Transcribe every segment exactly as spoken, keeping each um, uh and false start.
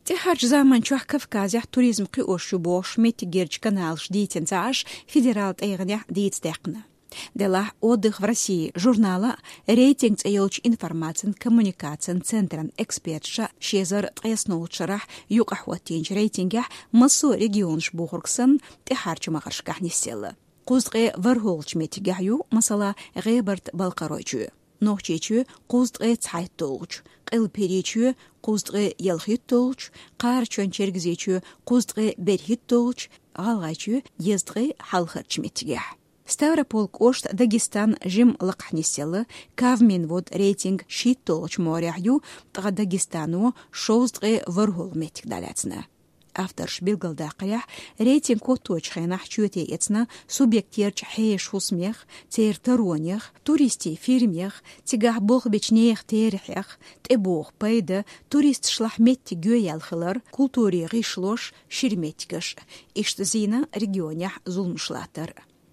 ТӀехьарчу заманчохь Кавказехь туризм кхиош ю бохуш, меттигерчу каналаш дийцина ца Ӏаш, федерал тӀегӀанехь дийца даьккхина. Делахь «Отдых в России» журнала «Рейтинг» цӀе йолчу информацин-коммуникацин центран эксперташа ши эзар ткъаесналгӀачу шарахь юкъахӀоттийначу рейтингехь массо а регионаш бохург санна тӀехьарчу магӀаршкахь нисъелла. Кхузткъе ворхӀалгӀачу меттигехь ю, масала, ГӀебарта-Балкхаройчоь, Нохчийчоь кхузткъе цхьайтталгӀачу, Къилба-ХӀирийчоь кхузткъе ялхитталгӀачу, Кхарачойн-Чергазийчоь кхузткъе берхӀитталгӀачу, ГӀалгӀайчоь дезткъе хьалхарчу меттигехь. Ставрополь кӀошт Дагестан жимма лакхахь нисъелла, Кавминвод рейтинг шийтталгӀачу могӀарехь ю, ткъа Дагестано шовзткъе ворхӀалгӀа меттиг дӀалаьцна. Авторша билгалдаккхарехь, рейтинг хӀотточу хенахь чоте эцна субъекттерчу хьешан хӀусамех, церан таронех, туристийн фирмех, цигахь болх бечу нехан терахьех, тӀебогӀу пайда, туристашлахь меттиг йоьяьлла хилар, культурин гӀишлош, шира меттигаш. Иштта зийна регионехь зуламаш латтар.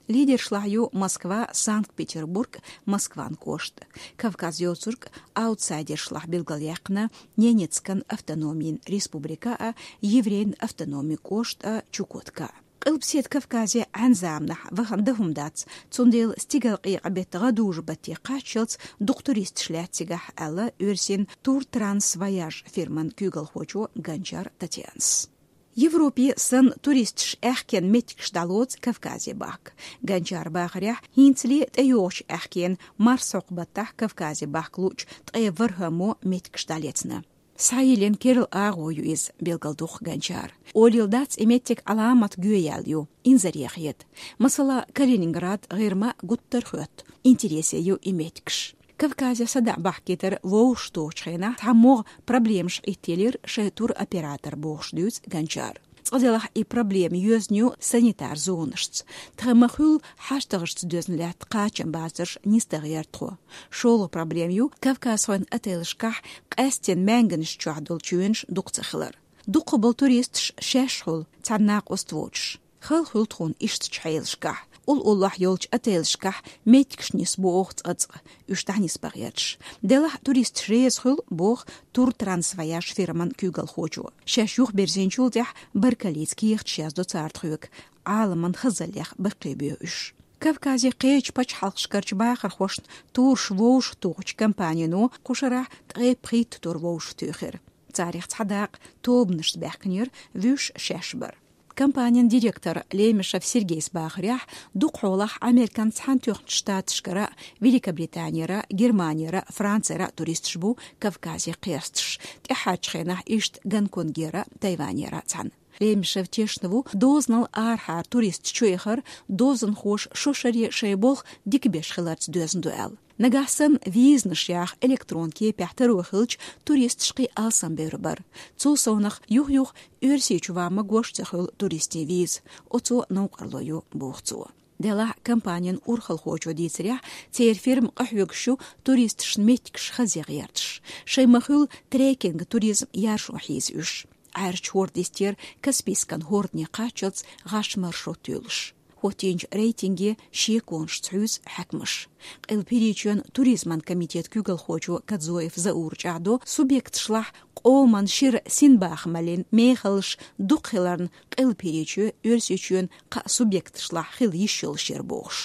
Лидершлахь ю Москва, Санкт-Петербург, Москван кӀошт. Кавказ йоцург аутсайдершлахь билгалъяьккхина Ненецкан автономин республика а, еврейн автономин кӀошт а, Чукотка а. Къилбаседа Кавказе Ӏаьнан заманахь вахана дан хӀума дац, цундела стигалкъекъа беттан гӀадужу батте кхаччалц дукха туристаш лаьтта цигахь, аьлла оьрсийн «Тур Транс Вояж» фирман куьйгалхочо Гончар Татьянас. Европе санна туристаш аьхкенан меттигаш дӀалоцу Кавказе бахка. Гончаран бахарехь, хӀинцале тӀейогӀучу аьхкенан марсхьокху баттахь Кавказе бахка луучу ткъе ворхӀаммо меттигаш дӀалецна. Схьайиллина керла агӀо ю иза, билгалдоккху Гончара. Олийла дац, и меттиг Ӏаламат гоьяьлла ю, инзаре хета. Масала, Калининград, ГӀирма гуттар а хоьтту, интересе ю и меттигаш. Кавказе садаӀа бахкийтар вовшахтохучу хенахь цхьамогӀа проблемаш Ӏиттелира шайн туроператор бохуш дуьйцу Гончара. Цкъа делахь и проблема йоьзна ю санитар зонашца. Тхан ма-хуьллу хьаштагӀашца доьзна лаьтта кхачам бацарш нисдахара тхо. ШолгӀа проблема ю кавказхойн отелашкахь къаьстина маьнганаш чохь долу чоьнаш дукха ца хилар. Дукха болу туристаш шаьш хуьлу, цхьана накъост воцуш. Хала хуьлу тхуна иштачу хьелашкахь. Уллохь йолчу отелашкахь меттигаш нисбо оха цкъа-цкъа, уьш дӀанисбан гӀерташ. Делахь туристаш реза хуьлу, боху «Тур Транс Вояж» фирман куьйгалхочо. Шаьш юхабирзинчул тӀаьхьа баркаллица кехаташ яздо цара тхоьга, Ӏаламан хазаллех баккхийбоьху уьш. Кавказе кхечу пачхьалкхашкарчу бахархошна тураш вовшахтухучу компанино кху шарахь ткъе пхийтта тур вовшахтуьйхира. Царах цхьа дакъа тобанашца баьхкинера, вуьш шаьш бара. Компанин директора Лемешев Сергейс бахарехь, дукхахьолахь Американ Цхьаьнатоьхначу Штаташкара, Великобританера, Германера, Францера туристаш бу Кавказе кхерсташ, тӀаьхьарчу хенахь иштта Гонконгера, Тайванера цхьаьна. Лемешев тешна ву, дозанал арахьара туристаш чуэхар дозанхоша шо шаре шайн болх дика беш хиларца доьзна ду аьлла. Нагахь санна визанаш яха электрон кепехь таро хилча, туристаш кхин алсамбевр бара. Цул совнах юх-юха Оьрсийчу ван магош ца хуьлу туристийн виза, оцо новкъарло ю, боху цо. Делахь компанин урхалхочо дийцарехь, церан фирма къахьоьгуш ю туристашна меттигаш хаза гӀерташ. Шайн ма-хуьллу трекинг туризм яржо хьийза уьш. Ӏаьржачу хӀорда йистера Каспийскан хӀордане кхаччалц гӀаш маршрут туьйлуш. ХӀоттийначу рейтинге шеконашца хьуьйсу хьаькамаш. Къилба-ХӀирийчоьнан туризман комитетан куьйгалхочо Кадзоев Заура чӀагӀдо, субъекташлахь къоман шира синбахамаллин мехаллаш дукха хиларна, Къилба-ХӀирийчоь Оьрсийчоьнан кхаа субъекташлахь хила йиш йолуш яра бохуш.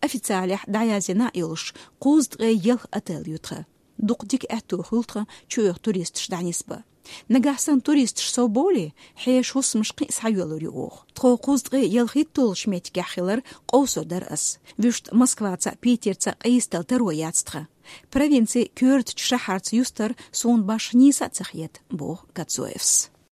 Официалехь дӀаязйина а йолуш, кхузткъе ялх отель ю тхан. Дукха дика аьтто хуьлу тхан чуэха туристаш дӀанисбан. Нагахь санна туристаш сов бовлий, хьешан хӀусамаш кхин а схьайоьллур ю оха. Тхо кхузткъе ялхитталгӀачу меттигехь хилар къовсур дара ас. Вуьшта Москваца а, Питерца а къийсадала таро яц тхан. Провинцин коьртачу шахьарца юстар суна башха нийса а ца хета, боху Кадзоевс.